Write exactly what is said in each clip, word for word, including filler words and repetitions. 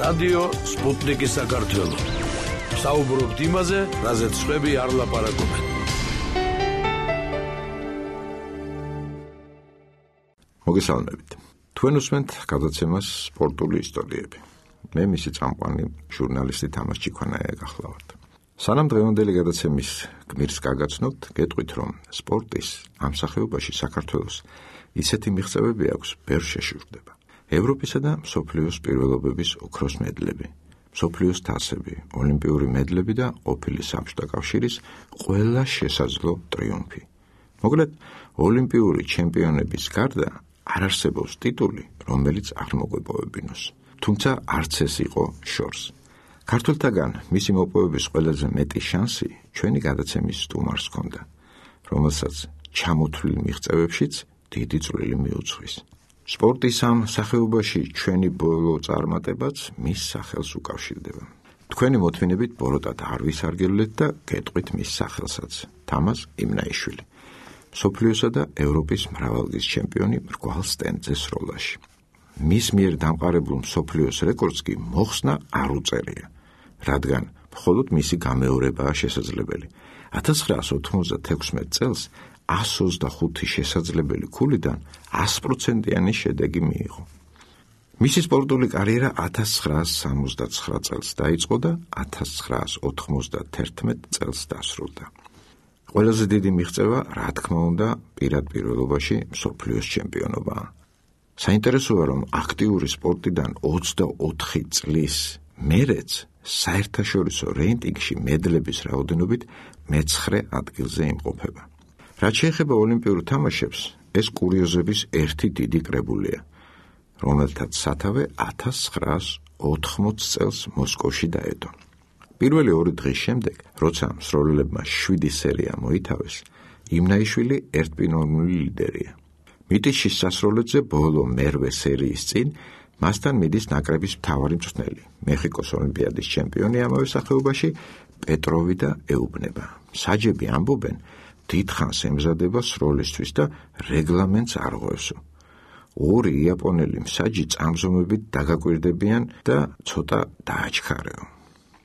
რადიო სპუტნიკი საქართველო. საუბრობთ იმაზე, რაზეც სხვები არ ლაპარაკობენ. მოგესალმებით. თქვენ უსმენთ გადაცემას სპორტული ისტორიები. მე მისი წამყვანი ჟურნალისტი თამაზ ჩიქვანაია გახლავართ. სანამ დღევანდელი გადაცემის გმირს გაგაცნობთ, გეტყვით, რომ სპორტის ამ სახეობაში საქართველოს ისეთი მიღწევები აქვს, ბევრ შეშურდება. ევროპისა და მსოფლიოს პირველობების ოქროს მედლები, მსოფლიოს თასები, ოლიმპიური მედლები და ყოფილი საბჭოთა კავშირის ყველა შესაძლო ტრიუმფი. მოკლედ, ოლიმპიური ჩემპიონების გარდა არ არსებობს ტიტული, რომელიც არ მოგვეპოვებინოს. თუმცა არც ეს იყო შორს. ქართველთაგან მისი მოპოვების ყველაზე მეტი შანსი ჩვენი გადაცემის სტუმარს ჰქონდა, რომელსაც ჩამოთვლილ მიღწევებშიც დიდი წვლილი მიუძღვის. სპორტის ამ სახეობაში ჩვენი ბოლო წარმატებაც მის სახელს უკავშირდება. თქვენი მოთმინებით ბოროტად არ ვისარგებლეთ და გეტყვით მის სახელსაც. თამაზ იმნაიშვილი, მსოფლიოსა და ევროპის მრავალგზის ჩემპიონი მრგვალ სტენდზე სროლაში. მის მიერ დამყარებულ მსოფლიოს რეკორდს კი მოხსნა არ უწერია, რადგან მხოლოდ მისი გამეორებაა შესაძლებელი. ათას ცხრაას ოთხმოცდათექვსმეტ წელს ასს ოცდახუთი შესაძლებელი ქულიდან ას პროცენტიანი შედეგი მიიღო. მისი სპორტული კარიერა ათას ცხრაას სამოცდაცხრა წელს დაიწყო და ათას ცხრაას ოთხმოცდათერთმეტ წელს დასრულდა. ყველაზე დიდი მიღწევა, რა თქმა უნდა, პირად პირველობაში მსოფლიოს ჩემპიონობაა. საინტერესოა, რომ აქტიური სპორტიდან ოცდაოთხი წლის მერეც საერთაშორისო რეიტინგში მედლების რაოდენობით მეცხრე ადგილზე იმყოფება. რაც შეეხება ოლიმპიურ თამაშებს, ეს კურიოზების ერთი დიდი კრებულია, რომელთაც სათავე ათას ცხრაას ოთხმოცდ წელს მოსკოვში დაედო. პირველი ორი დღის შემდეგ, როცა მსროლელებმა შვიდი სერია მოითავეს, იმნაიშვილი ერთპიროვნული ლიდერია. მიტიშის სასროლედზე ბოლო მერვე სერიის წინ მასთან მიდის ნაკრების მთავარი მწვრთნელი, მეხიკოს ოლიმპიადის ჩემპიონი ამავე სახეობაში პეტროვი და ეუბნება. საჯები ამბობენ, დიდხანს ემზადება სროლისთვის და რეგლამენტს არ ღვევსო. ორი იაპონელი მსაჯი წამზომებით დაგაკვირდებიან და ცოტა დააჩქარეო.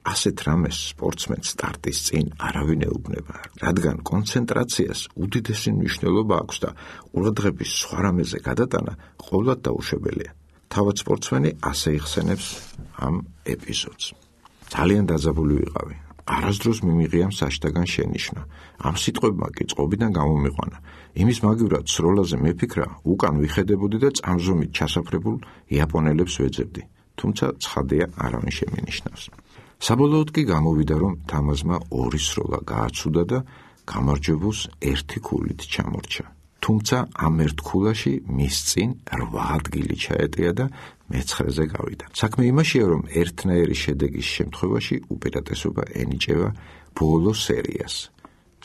ასეთ რამეს სპორტსმენს სტარტის წინ არავინ ეუბნება, რადგან კონცენტრაციას უდიდესი მნიშვნელობა აქვს და ყურადღების სხვა რამეზე გადატანა ყოვლად დაუშვებელია. თავად სპორტსმენი ასე იხსენებს ამ ეპიზოდს. ძალიან დაძაბული ვიყავი. არასდროს მიმიღია მსაჯთაგან შენიშვნა. ამ სიტყვებმა კი წყობიდან გამომიყვანა. იმის მაგივრად სროლაზე მეფიქრა, უკან ვიხედებოდი და წამზომით ჩასაფრებულ იაპონელებს ვეძებდი. თუმცა ცხადია, არავინ შემინიშნავს. საბოლოოდ კი გამოვიდა, რომ თამაზმა ორი სროლა გააცუდა და გამარჯვებულს ერთი ქულით ჩამორჩა. თუმცა ამ ერთ ქულაში მის წინ რვა ადგილი ჩაეტია და მეცხრეზე გავიდა. საქმე იმაშია, რომ ერთნაირი შედეგის შემთხვევაში უპირატესობა ენიჭება ბოლო სერიას,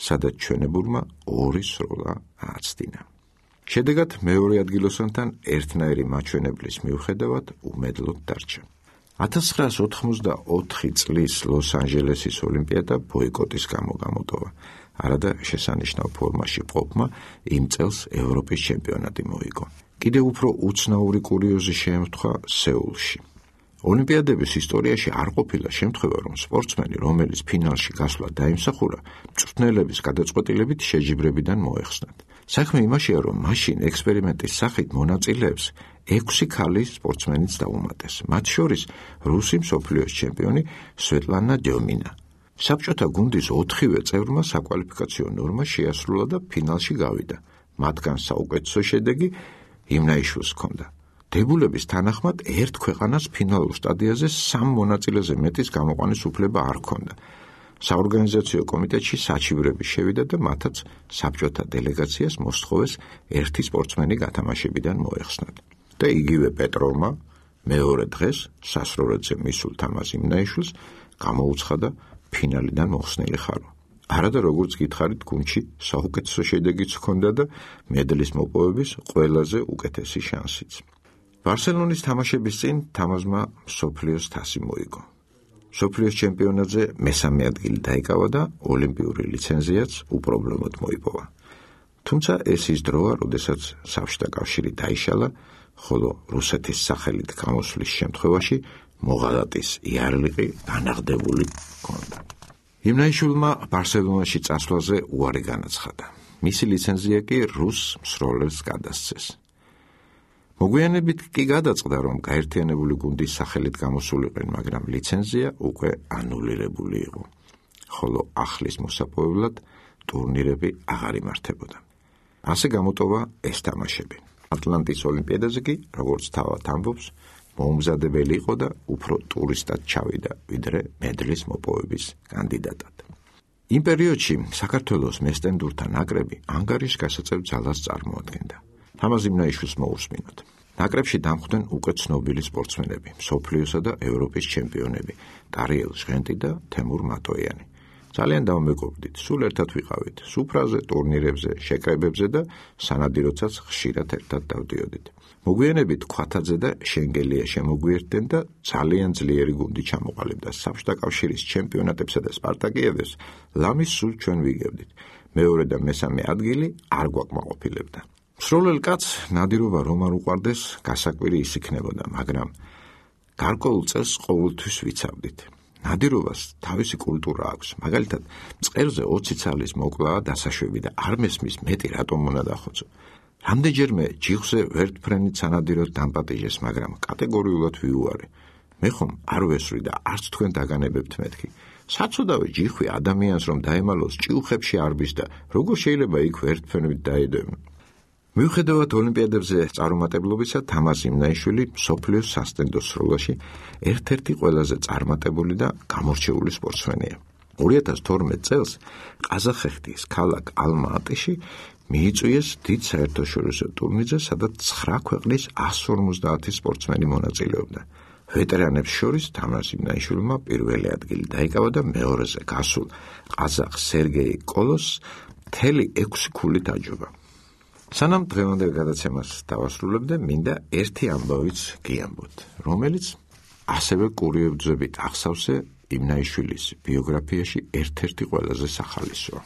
სადაც ჩვენებურმა ორი სროლა ააცდინა. შედეგად მეორე ადგილოსანთან ერთნაირი მაჩვენებლის მიუხედავად უმედლოდ დარჩა. ათას ცხრაას ოთხმოცდაოთხი წლის ლოს-ანჯელესის ოლიმპიადა ბოიკოტის გამო გამოტოვა. არადა შესანიშნავ ფორმაში ყოფმა იმ წელს ევროპის ჩემპიონატი მოიგო. კიდევ უფრო უცნაური კურიოზი შეემთხვა სეულში. ოლიმპიადების ისტორიაში არ ყოფილა შემთხვევა, რომ სპორტსმენი, რომელიც ფინალში გასვლა დაიმსახურა, მწვრთნელების გადაწყვეტილებით შეჯიბრებიდან მოეხსნათ. საქმე იმაშია, რომ მაშინ ექსპერიმენტის სახით მონაწილეებს ექვსი ქალი სპორტსმენიც დაუმატეს, მათ შორის რუსი მსოფლიოს ჩემპიონი სვეტლანა დიომინა. საბჭოთა გუნდის ოთხივე წევრმა საკვალიფიკაციო ნორმა შეასრულა და ფინალში გავიდა. მათგან საუკეთესო შედეგი იმნაიშვილს ჰქონდა. დებულების თანახმად ერთ ქვეყანას ფინალურ სტადიაზე სამ მონაწილეზე მეტის გამოყვანის უფლება არ ჰქონდა. საორგანიზაციო კომიტეტში საჩივრები შევიდა და მათაც საბჭოთა დელეგაციას მოსთხოვეს ერთი სპორტსმენი გათამაშებიდან მოეხსნათ. და იგივე პეტროვმა მეორე დღეს სასროლედზე მისულ თამაზ იმნაიშვილს გამოუცხადა ფინალიდან მოხსნილი ხარო. არადა როგორც გითხარით, გუნდში საუკეთესო შედეგიც ჰქონდა და მედლის მოპოვების ყველაზე უკეთესი შანსიც. ბარსელონის თამაშების წინ თამაზმა მსოფლიოს თასი მოიგო. მსოფლიოს ჩემპიონატზე მესამე ადგილი დაიკავა და ოლიმპიური ლიცენზიაც უპრობლემოდ მოიპოვა. თუმცა ეს ის დროა, როდესაც საბჭოთა კავშირი დაიშალა, ხოლო რუსეთის სახელით გამოსვლის შემთხვევაში მოღალატის იარლიყი განაღდებული ჰქონდა. იმნაიშვილმა ბარსელონაში წასვლაზე უარი განაცხადა. მისი ლიცენზია კი რუს მსროლელს გადასცეს. მოგვიანებით კი გადაწყდა, რომ გაერთიანებული გუნდის სახელით გამოსულიყვნენ, მაგრამ ლიცენზია უკვე ანულირებული იყო, ხოლო ახლის მოსაპოვებლად ტურნირები აღარ იმართებოდა. ასე გამოტოვა ეს თამაშები. ატლანტის ოლიმპიადაზე კი, როგორც თავად ამბობს, მოუმზადებელი იყო და უფრო ტურისტად ჩავიდა, ვიდრე მედლის მოპოვების კანდიდატად. იმ პერიოდში საქართველოს მესტენდურთა ნაკრები ანგარიშ გასაწევ ძალას წარმოადგენდა. თამაზ იმნაიშვილს მოусმინოთ. ნაკრებში დამხვდნენ უკვე ცნობილი სპორტსმენები, მსოფლიოსა და ევროპის ჩემპიონები, ტარიელ ჟღენტი და თემურ მატოიანი. ძალიან დავმეგობრდით, სულ ერთად ვიყავით, სუფრაზე, ტურნირებზე, შეკრებებზე და სანადიროცაც ხშირად ერთად დავდიოდით. მოგვიანებით ქვათაძე და შენგელია შემოგვიერთდნენ და ძალიან ძლიერი გუნდი ჩამოყალიბდა. საბჭოთა კავშირის ჩემპიონატებსა და სპარტაკიადებს ლამის სულ ჩვენ ვიგებდით. მეორე და მესამე ადგილი არ გვაკმაყოფილებდა. მსროლელ კაცს ნადირობა რომ არ უყვარდეს, გასაკვირი ის იქნებოდა, მაგრამ გარკვეულ წელს ყოველთვის ვიცავდით. ნადირობას თავისი კულტურა აქვს, მაგალითად, მწყერზე ოცი ცალის მოკლაა დასაშვები და არ მესმის მეტი რატომ უნდა დახოცო. რამდენჯერმე ჯიხზე ვერტფრენით სანადიროდ დამპატიჟეს, მაგრამ კატეგორიულად ვიუარე. მე ხომ არ ვესვრი და არც თქვენ დაგანებებთ მეთქი. საცოდავი ჯიხვი ადამიანს რომ დაემალოს ჭიუხებში არბის და როგორ შეიძლება იქ ვერტფრენით დაედევნა. მიუხედავად ოლიმპიადებზე წარუმატებლობისა, თამაზ იმნაიშვილი მსოფლიოს სასტენდო სროლაში ერთ-ერთი ყველაზე წარმატებული და გამორჩეული სპორტსმენია. ორი ათას თორმეტ წელს ყაზახეთის ქალაქ ალმა-ატიში მიიწვიეს დიდ საერთაშორისო ტურნირზე, სადაც ცხრა ქვეყნის εκατს ორმოცდაათი სპორტსმენი მონაწილეობდა. ვეტერანებს შორის თამაზ იმნაიშვილმა პირველი ადგილი დაიკავა და მეორეზე გასულ ყაზახ სერგეი კოლოს მთელი ექვსი ქულით აჯობა. სანამ დღევანდელ გადაცემას დავასრულებდე, მინდა ერთი ამბავიც გიამბოთ, რომელიც ასევე კურიევძებით ახსავსე იმნაიშვილის ბიოგრაფიაში ერთ-ერთი ყველაზე სახალისოა.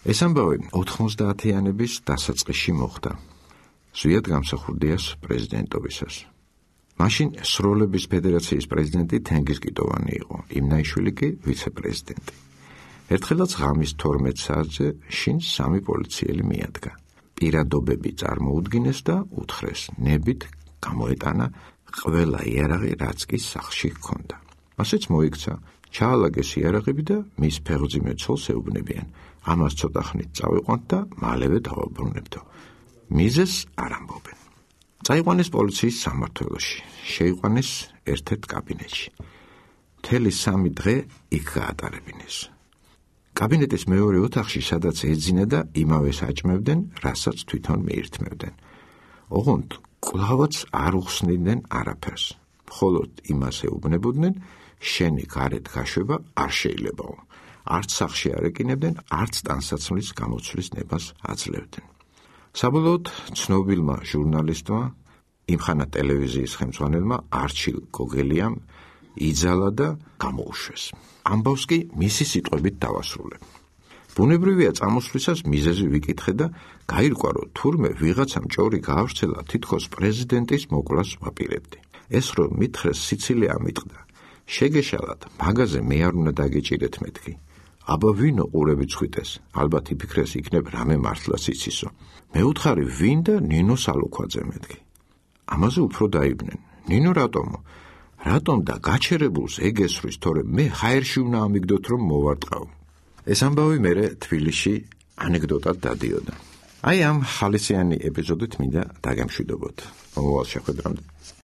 ეს ამბავი ოთხმოცდაათიანების დასაწყისში მოხდა, ზვიად გამსახურდიას პრეზიდენტობისას. მაშინ სროლების ფედერაციის პრეზიდენტი თენგიზ კიტოვანი იყო, იმნაიშვილი კი ვიცე-პრეზიდენტი. ერთხელაც ღამის თორმეტ საათზე შინ სამი პოლიციელი მიადგა. პირადობები წარმოუდგინეს და უთხრეს, ნებით გამოეტანა ყველა იარაღი, რაც კი სახლში ჰქონდა. ასეც მოიქცა, ჩაალაგეს იარაღები და მის ფეხმძიმე ცოლს ეუბნებიან. ამას ცოტა ხნით წავიყვანთ და მალევე დავაბრუნებდო. მიზეს არ ამბობენ. წაიყვანეს პოლიციის სამმართველოში, შეიყვანეს ერთ-ერთ კაბინეტში. მთელი სამი დღე იქ გაატარებინეს. კაბინეტის მეორე ოთახში, სადაც ეძინა და იმავეს აჭმევდნენ, რასაც თვითონ მიირთმევდნენ. ოღონდ კვლავაც არ უხსნიდნენ არაფერს. მხოლოდ იმას ეუბნებოდნენ, შენი გარეთ გაშვება არ შეიძლებაო. არც სახლში არ ეკინებდნენ, არც ტანსაცმლის გამოცვლის ნებას აძლევდნენ. საბოლოოდ ცნობილმა ჟურნალისტმა, იმხანა ტელევიზიის ხელმძღვანელმა არჩილ გოგელიამ იძალა და გამოუშვეს. ამბავს კი მისი სიტყვებით დავასრულებ. ბუნებრივია წამოსვლისას მიზეზი ვიკითხე და გაირკვა, რომ თურმე ვიღაცამ ჭორი გაავრცელა, თითქოს პრეზიდენტის მოკვლას ვაპირებდი. ეს რომ მითხრეს სიცილე ამიტყდა. შეგეშალათ, მაგაზე მე არ უნდა დაგეჭირეთ მეთქი. აბა ვინო ყურები წვიტეს, ალბათ იფიქრეს იქნებ რამე მართლაც იცისო. მე უთხარი ვინ და ნინო სალუქვაძე მეთქი. ამაზე უფრო დაიბნენ. ნინო რატომო? რატომ და გაჩერებულს ეგესვრის, თორემ მე ჰაერში უნდა ამიგდოთ, რომ მოვარტყავ. ეს ამბავი მერე თბილისში ანეკდოტად დადიოდა. აი ამ ხალისიანი ეპიზოდით მინდა დაგემშვიდობოთ. მომავალ შეხვედრამდე.